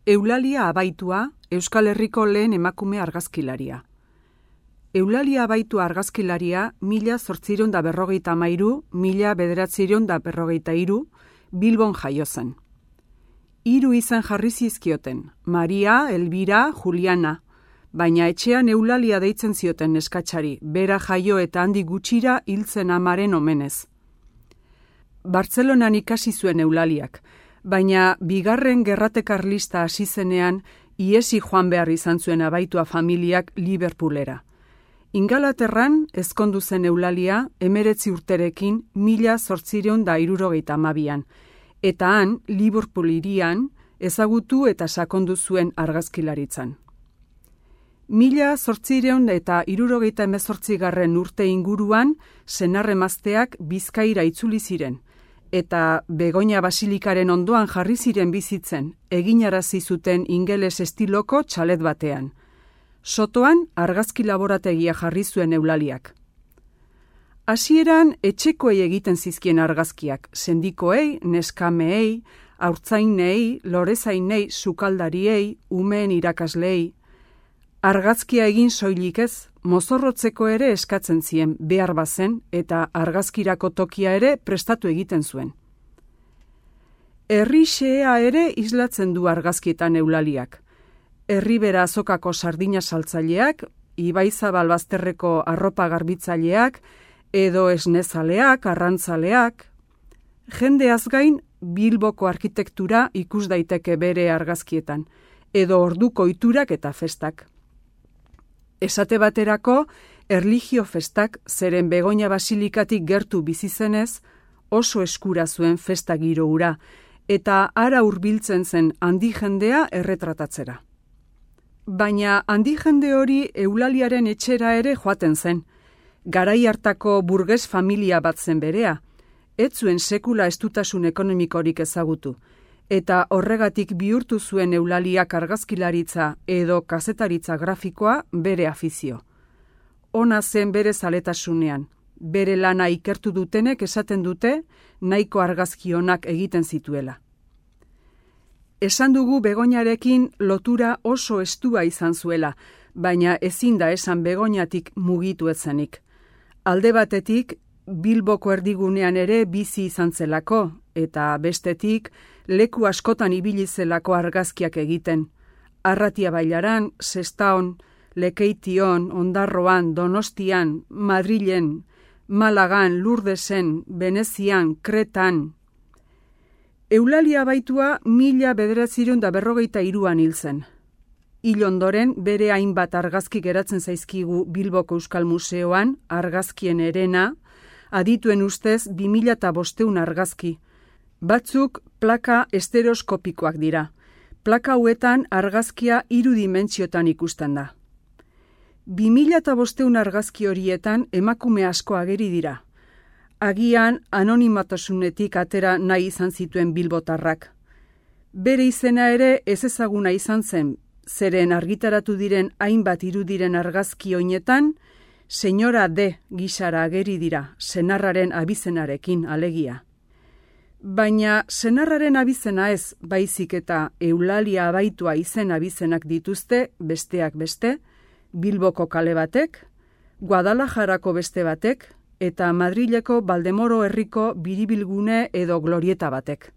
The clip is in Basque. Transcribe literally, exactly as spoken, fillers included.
Eulalia Abaitua, Euskal Herriko lehen emakume argazkilaria. Eulalia Abaitua argazkilaria mila zortziehun da berrogeita hamairu, mila bederatziehun da berrogeita hiru, Bilbon jaio zen. Hiru izen jarri zizkioten, Maria, Elbira, Juliana, baina etxean Eulalia deitzen zioten neskatxari, bera jaio eta handi gutxira hiltzen amaren omenez. Bartzelonan ikasi zuen Eulaliak, baina bigarren gerrate karlista hasi zenean iesi joan behar izan zuen Abaitua familiak Liverpoolera. Ingalaterran ezkondu zen Eulalia emeretzi urterekin mila zortziehun da hirurogeita hamabian, eta han Liverpool hirian ezagutu eta sakondu zuen argazkilaritzan. Mila zortziehun eta hirurogeita hemezortzigarren urte inguruan senar-emazteak Bizkaira itzuli ziren, eta Begoña Basilikaren ondoan jarri ziren bizitzen, eginarazi zuten ingeles estiloko txalet batean. Sotoan argazki laborategia jarri zuen Eulaliak. Hasieran etxekoei egiten zizkien argazkiak, sendikoei, neskameei, haurtzainei, lorezainei, sukaldariei, umeen irakasleei. Argazkia egin soilik ez, mozorrotzeko ere eskatzen zien behar bazen eta argazkirako tokia ere prestatu egiten zuen. Herri xehea ere islatzen du argazkietan Eulaliak. Herribera azokako sardina saltzaileak, Ibaizabal bazterreko arropa garbitzaileak, edo esnezaleak, arrantzaleak. Jendeaz gain Bilboko arkitektura ikus daiteke bere argazkietan, edo orduko ohiturak eta festak. Esate baterako, erlijio festak zeren Begoña Basilikatik gertu bizi zenez, oso eskura zuen festa giro hura, eta hara hurbiltzen zen handi jendea erretratatzera. Baina handi jende hori Eulaliaren etxera ere joaten zen. Garai hartako burges familia bat zen berea, ez zuen sekula estutasun ekonomikorik ezagutu, eta horregatik bihurtu zuen Eulaliak argazkilaritza edo kazetaritza grafikoa bere afizio. Ona zen bere zaletasunean, bere lana ikertu dutenek esaten dute nahiko argazki onak egiten zituela. Esan dugu Begoñarekin lotura oso estua izan zuela, baina ezin da esan Begoñatik mugitu etzenik. Alde batetik, Bilboko erdigunean ere bizi izan zelako, eta bestetik, leku askotan ibili zelako argazkiak egiten. Arratia Bailaran, Sestaon, Lekeition, Ondarroan, Donostian, Madrilen, Malagan, Lurdesen, Venezian, Kretan. Eulalia Abaitua mila bederatziehun da berrogeita hiruan hil zen. Hil ondoren bere hainbat argazki geratzen zaizkigu Bilboko Euskal Museoan, argazkien herena, adituen ustez bi mila bostehun argazki. Batzuk plaka estereoskopikoak dira. Plaka hauetan argazkia hiru dimentsiotan ikusten da. bi mila bostehun argazki horietan emakume asko ageri dira. Agian anonimatasunetik atera nahi izan zituen bilbotarrak. Bere izena ere ezezaguna izan zen, zeren argitaratu diren hainbat irudiren argazki oinetan, Señora D gisara ageri dira, senarraren abizenarekin alegia. Baina senarraren abizena ez, baizik eta Eulalia Abaitua izen abizenak dituzte, besteak beste, Bilboko kale batek, Guadalajarako beste batek, eta Madrileko Baldemoro herriko biribilgune edo glorieta batek.